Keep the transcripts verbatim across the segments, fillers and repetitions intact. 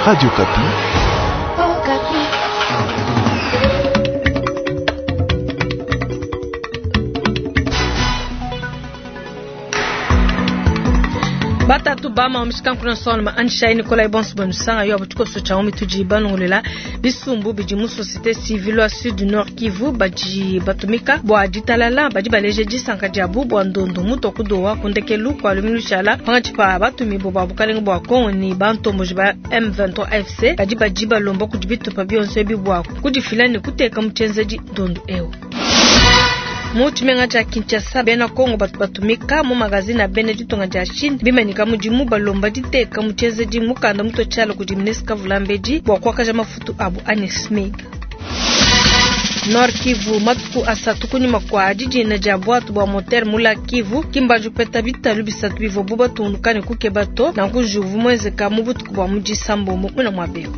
Radio Okapi. Batatu bama omishikanku solma anshai Nikolai bonso banusanga yo abutukoso cha omituji banongolela bisumbu bidi mu société civile wa sud nord Kivu badi batumika bua ditalala badi baleje disanka diabu bua ndondo muto kudowa kundekelu kwa lumingu shala pangatshi pa batumi bo ba bukalenge bua Kongo ni bantomboji ba M vingt-trois A F C badi badi balomba kudi bitupa bionso ebi bua kudifila ne kuteka mu tshienzedi ndondo eu. Mu tshimenga tshia Kinshasa bena Kongo batu batumika mu magazine a bena ditunga dia Chine bimanyika mudimu balomba diteka mu tshienzedi mukanda muto tshiala kudi ministre Kavulambedi bua kuakaja mafutu abu anyi SMIG. Nord Kivu matuku asatu kunyuma kwa dijina dia bwatu bua moteur mula Kivu kimbanju peta bitalu bisatu bivua bu batunduka ne kukeba to nanku juvu mwenzeka mu butuku bua mu disambombo muna mwabeo.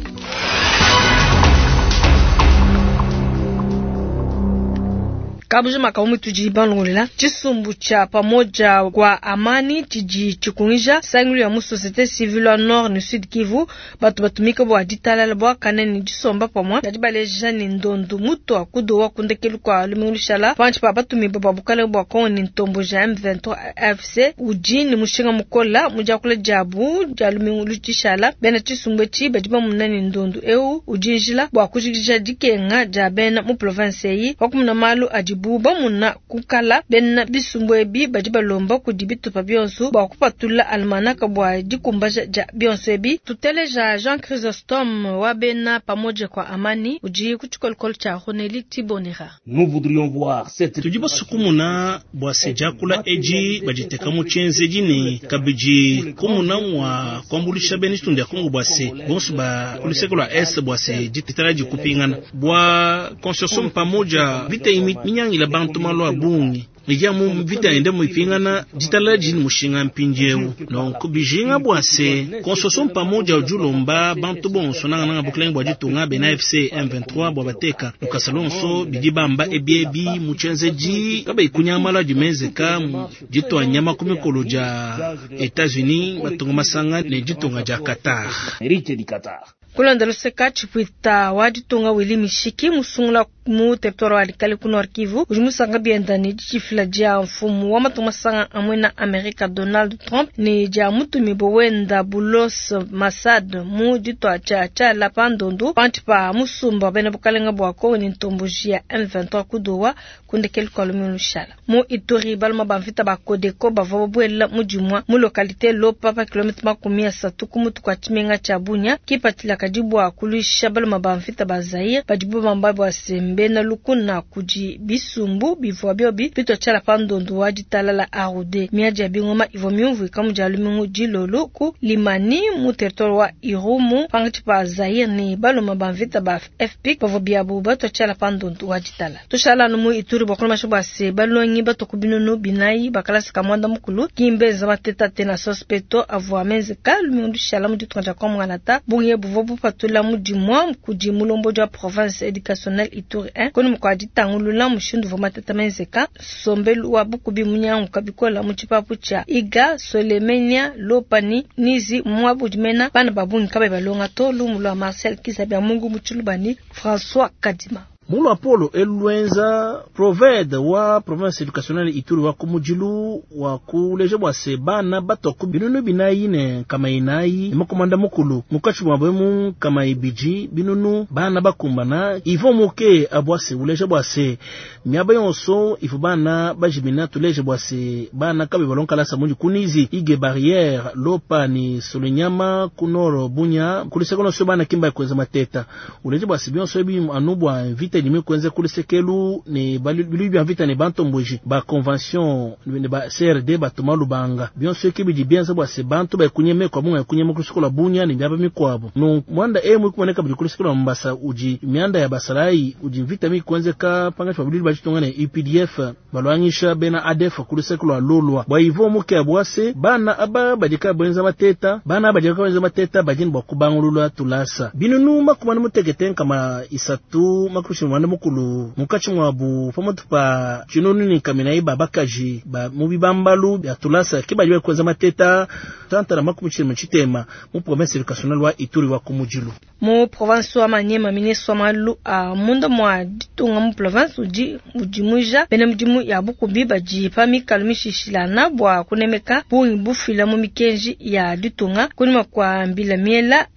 Kabujima kaumu tuji bangongolela chisumbu cha pamoja kwa amani chiji chikungija sangulu ya mu société civile wa nord ni sud Kivu batu batumika bwa ditalala bwa kanene disomba pamwa badi baleja ni ndondo muto akudo wa kundekelu kwa lumingu shala panchi pa batumi bwa bukale bwa Kongo ni ntombo ja M vingt-trois A F C uji ni mushinga mukola mujakula jabu ja lumingu lutishala bena chisumbu chi badi bamuna ni ndondo eu ujinjila bwa kujikija dikenga ja bena mu province yi wakumuna malu adi buba muna kukala bena bisumbu ebi badi balomba kudi bitupa bionso bua kupatula almanaka bua dikumbaja ja bionso ebi. Tuteleja Jean Chrysostome wa bena pamoja kwa amani udi ku tshikolokolo tshia Roneli Tibonera. Nous voudrions voir cette tudi basukumuna bua se diakula edi baditeka mu tshienzedi ne kabidi kumuna mwa kuambulisha bena ditunga dia Kongo bua se bonso ba ku luseke lua est bua se ditala dikupingana bua consortium pamoja vita imi minyangila bantu malu a bungi ija mu vita ende muipingana ditala dini mushinga mpindieu donc bijinga bua se consortium pamoja ujulomba bantu bonso nanga nanga bukelenge bua ditunga bena A F C M vingt-trois bua bateka lukasa lonso bidi bamba ebiebi mu tshienzedi kaba ikunyamala dimenzeka mu ditwa nyama ku mikolo dia États-Unis batunga masanga ne ditunga dia Qatar. Héritier du Qatar. Kulanda luseka tshipwita wa ditunga Willy Mishiki musungula mu territoire wa Likale ku Nord Kivu udi musanga bienda ne ditshifila dia mfumu wa matunga masanga amwe na Amerika Donald Trump ne dia mutumi bowenda Boulos Masad mu ditwa tshia tshiala pa ndondu pantshi pa musumba bena bukalenga bua Kongo ne ntomboji ya M vingt-trois kudowa kundekelu kwa lumingu lushala. Mu Ituri baluma ba mvita ba Kodeko bavua babuela mu dimua mu localité Lopa pa kilomètre makumi asatu ku mutu kwa tshimenga tshia Bunia kipatila kadi bua kuluisha baluma ba mvita ba Zaire badibu bamba bua sembe na lukuna kudi bisumbu bivua biobi bitwa tshiala pa ndondu wa ditalala Arode miadi ya bingoma ivua miumvuika mu dia lumingu dilolo ku Limani mu territoire wa Irumu pangatshi pa Zaire ne baluma ba mvita ba F P bavua biabu batwa tshiala pa ndondu wa ditala. Tushala anu mu Ituri bua kolomasha bua se balongi batoku binunu binayi bakalasi ka mwanda mukulu kimbe nza mateta te na sospeto avua menzeka lumingu lushala mu ditunga dia Kongo bunge buvua bupatula mu dimua kudi mulombo dia province éducationnelle Ituri un koni mukwa ditangulula mushindu vua mateta menzeka sombelu wa bukubi munyangu kabikola mu tshipapu tshia Iga Solemenia Lopani Nizi mwabu dimena bana babungi kabe balonga to lumu lwa Marcel Kizabia Mungu mu Tshilubani François Kadima. Mulu Apollo elwenza proved wa province éducationnelle Ituri wa kumujilu wa kuleje bwa se bana batoko binunu binayi ne kama inayi makomanda mukulu mukachi bwa bwemu kama ibiji binunu bana bakumbana ivo moke abwase uleje bwa se miaba yonso ivo bana bajimina tuleje bwa se bana kabe balonkala sa munji kunizi ige barrière lopa ni solunyama kunoro bunya kulisekono so bana kimba kwenza mateta uleje bwa se bionso ebi anubwa vita ni kwenze kulisekelu ne bilu bya vita ne bantomboji ba convention ne ba C R D ba tomalu banga bionso ekibi bienza bwa se bantu ba kunyeme kwa munga kunyeme kulisikola bunya ne byaba mikwabo no mwanda e mu kuboneka buli kulisikola mbasa uji mianda ya basarai uji vita mi kwenze ka panga chwa bilu bachitonga ne U P D F balwangisha bena A D F kulisekelo lolwa bwa ivo muke abwase bana aba badika bwenza mateta bana badika bwenza mateta bajini bwa kubangulula tulasa binunu makumana mutekete kama isatu makusha tshimwanda mukulu munkatshi mwabu pamutu pa tshinunu ne nkaminayi ba bakaji ba mu bibambalu bya tulasa ke badi bakwenza mateta tanta na makumi tshilema tshitema mu province educationnelle wa Ituri wa Kumujilu. Mu province wa Maniema, ministre wa malu a munda mwa ditunga mu province udi udimuja bena mudimu ya bukubi badi pa mikalu mishishilana bua kunemeka bungi bufila mu mikenji ya ditunga kunyima kwa mbila miela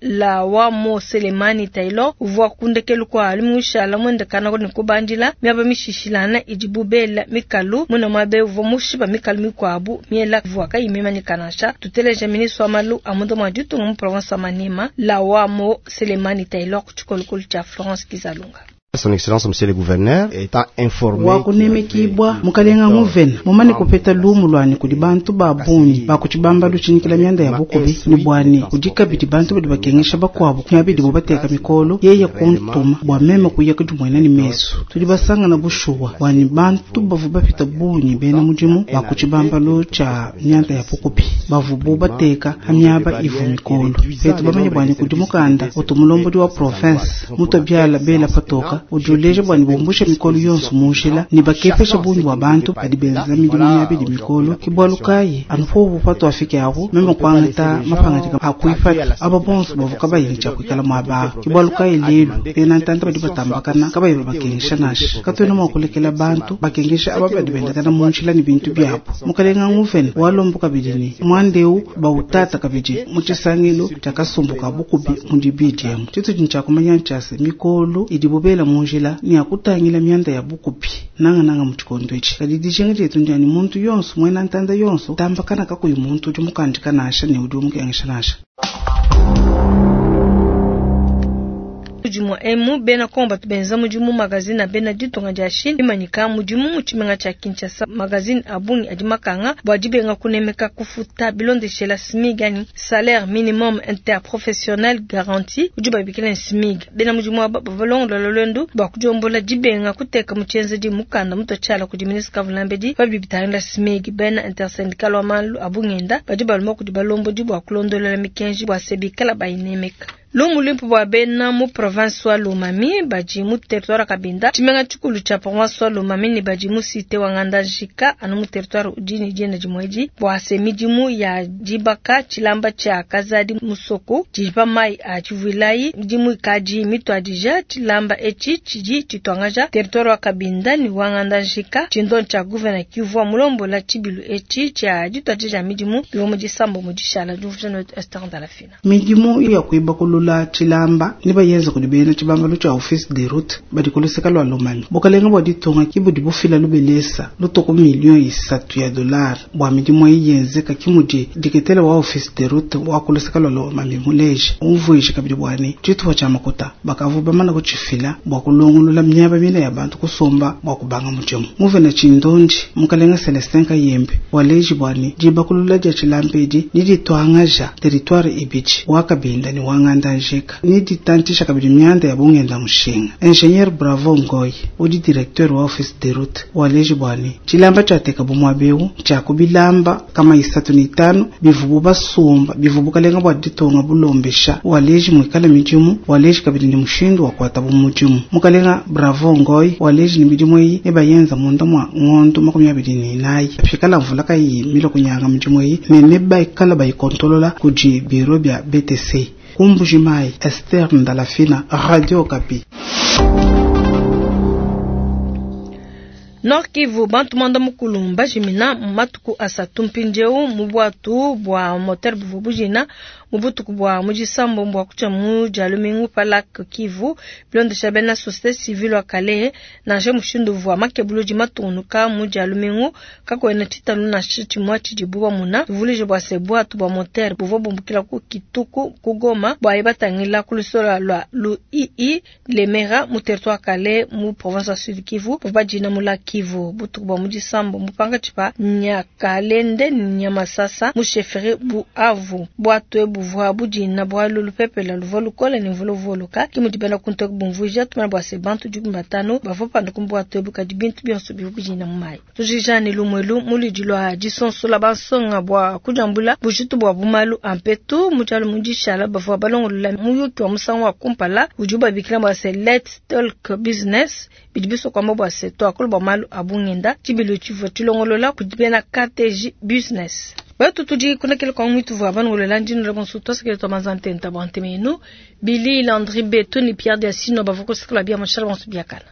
la wa mo Selemani Taylor uvua kundekelu kwa limushala mwende kana ne kubandila miaba mishishilana idi bubela mikalu muna mwabe uvua mushiba mikalu mikwabu miela uvua kayimemanyika nansha. Tuteleja ministre wa malu a munda mwa ditunga mu province wa Maniema la wa mo Selemani Taylor kuchikolokolo cha Florence Kizalunga. Son Excellence Monsieur le Gouverneur étant informé wakunemekibwa mukalenga nguvena mumane kupeta lumu lwani kudi bantu ba bungi bakuchibamba luchinikila myanda ya bukubi ni bwani kudi kabidi bantu badi bakengesha bakwabo myabidi bo bateka mikolo yeye kuntuma bwa meme kuya kudimwena ni mesu tudi basangana bushuwa bwani bantu bavu bapita bungi bena mudimu bakuchibamba lucha myanda ya bukubi bavu bo bateka hamyaba ivu mikolo betu bamanye bwani kudi mukanda utumulombo wa province mutobyala bela patoka ujuleje bwani bumbushe mikolo yonso munjila ni bakepesha bungi bwa bantu badi benza midimu myabidi mikolo kibwalukayi anupo bupatu afike aho meme kwangata mapangatika akuifata aba bonso bavuka bayinja kwikala mwaba kibwalukayi lelu bena ntanta badi batambakana kabayi bakengesha nasha katwena mwakulekela bantu bakengesha aba badi bendakana munjila ni bintu byabo mukalenga nguvena walombo kabidi ni mwandeu bautata kabidi muchisangilo chakasumbuka bukubi mudibidi emu tshitu chinchakumanya nchase mikolo idi bubela munjila ni akutangila myanda ya bukupi nanga nanga muchikondo ichi kadi dijinga jetu ndiani muntu yonso mwena ntanda yonso tambakana kakuyi muntu udi mukandika nasha ne udi umukengesha nasha. Mudimu emu bena komba tubenza mudimu magazine bena ditunga dia Chine imanyika mudimu mu tshimenga tshia Kinshasa magazine abungi adi makanga bua dibenga kunemeka kufuta bilondeshela SMIG ani salaire minimum interprofessionnel garanti udi babikila SMIG bena mudimu aba bavalongolola lwendu bua kudiombola dibenga kuteka mu tshienzedi mukanda mutotshiala kudi ministre Kavulambedi babidi bitangila SMIG bena intersyndical wa malu abungenda badi balomba kudi balombodi bua kulondolola mikenji bua sebikala bayinemeka. Lumu luimpe bua bena mu province wa Lomami badi mu territoire Kabinda tshimenga tshikulu tshia province wa Lomami ne badi mu cité wa Ngandajika anu mu territoire udi ne dienda dimwedi bua se midimu ya dibaka tshilamba tshia Kazadi musoko tshidi mai a tshivuilayi midimu ikadi mituadija tshilamba etshi tshidi tshituangaja territoire wa Kabinda ne wa Ngandajika tshindo tshia gouverneur kivua mulombola tshibilu etshi tshia dituadija midimu bivua mu disambo mu dishala diuvujana Esther Ndalafina midimu ya kuibakulula tshilamba ni bayenza kudi bena tshibambalo tshia office de route badi kuluseka lwa Lomami bukalenga bua ditunga ki budi bufila lubelesa lutoko million isatu ya dollar bua midimu iyenzeka kimudi diketela wa office de route wa kuluseka lwa Lomami muleje umvuije kabidi bwani tshitupa tshia makuta bakavu bamana kutshifila bua kulongolola miaba mine ya bantu kusomba bua kubanga mudimu muvena tshindondi mukalenga Celestin Kayembe waleji bwani dibakulula dia tshilamba edi ni dituangaja territoire ibidi wa Kabinda ni wa Ngandajika ni ditantisha kabidi myanda ya bungenda mushinga. Ingénieur Bravo Ngoy udi directeur wa office de route waleji bwani tshilamba tshiateka bumwabeu tshia kubilamba kama isatu ni itanu bivubu basumba bivubu kalenga bua ditonga bulombesha waleji mwikala midimu waleji kabidi ni mushindu wa kuata bumudimu mukalenga Bravo Ngoy waleji ni midimu eyi ebayenza munda mwa ngondo makumi abidi ni inayi afikala mvula kayi milo kunyanga midimu eyi ne nebaikala bayikontolola kudi biro bya B T C. Kumbujimai, Esther Ndalafina, Radio Okapi. Nord Kivu bantu mwanda mukulu mbajimina matuku asatu mpindieu mu bwatu bua moteur buvu bujina mu butuku bua mujisambo mbwa kucha mu jalumingu palak Kivu bilondesha bena société civile wa Kalehe nansha mushindu vua makebuluji matunuka mu jalumingu kakwena tshitalu nansha tshimua tshidibu bamuna tuvulije bua se bwatu bua moteur buvua bumbukila ku Kituku ku Goma bua yebatangila ku lusola lua lu I I Lemera mu territoire Kalehe mu province ya Sud Kivu buvua bajina mu la Kivu butuku bua mujisambo mupanga tshipa Nyakalende Nyamasasa mu chefferie Buavu bwatu ebu buvua budina bualu lupepela luvua lukole ne mvula uvua uloka. Ke mudi bena kuntu eku bumvuija tumana bua se bantu dikumi batanu bavua panduka mu buatu ebu kadi bintu bionso bivua bidina mu mayi. Tujikija ne lumuelu mu luidi lua disonsola bansonga bua kudiambula bujitu bua bumalu a mpetu mu dialu mu dishala bavua balongolola muyuki wa musangu wa kumpala udibu babikila bua se Let's Talk Business bidi bisua kuamba bua se tuakule bua malu a bungenda tshibilu tshivua tshilongolola kudi bena K T J Business. Betu tudi kunekele kwa mwitu vua banongolola ndino bonso twasekele twa manzantenta bua ntemenu Billy Landry Beto ni Pierre Diasino bavua kusekela bia mashala bonso biakala.